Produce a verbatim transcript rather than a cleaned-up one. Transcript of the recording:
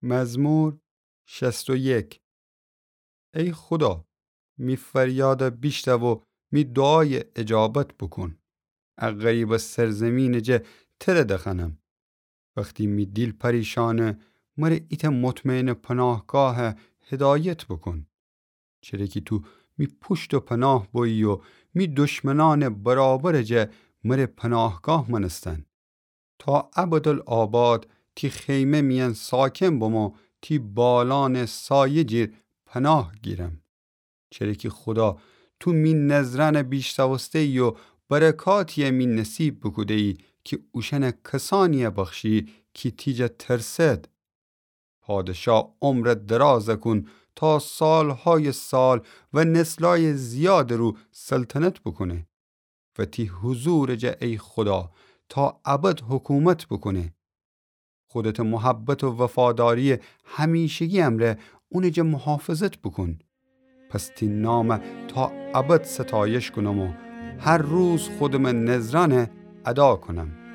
مزمور شصت و یک. ای خودا، می فریادَ بیشتو و می دوعایَ اجابت بوکون. ا غریبٚ سرزمینٚ جا تره دخوأنم. وختی می دیل پریشأنه، مره ایتأ مطمئنٚ پناهگاه هدایت بوکون. چره کی تو می پوشت و پناه بویی و می دشمنأنٚ برابرٚ جا مره پناهگاه مأنستن. تا ابدالآباد تی خیمه میأن ساکن بم و تی بالأنٚ سایه جیر پناه گیرم. چره کی خودا، تو می نذرأنَ بیشتوسته‌یی و برکاتی‌یَ می نصیب بوکوده‌یی کی اوشأنَ کسأنی‌یَ بخشی کی تی جا ترسد. پادشا عمرَ درازَ کون تا سالهایٚ سال و نسلأیٚ زیادٚ رو سلطنت بوکونه. و تی حضورٚ جا ای خودا تا ابد حکومت بوکونه. خودتٚ محبت و وفاداری‌یٚ همیشگی امرأ اونٚ جا محافظت بوکون. پس تی نامَ تا ابد ستایش کونم و هر روز خودمٚ نذرأنَ ادا کونم.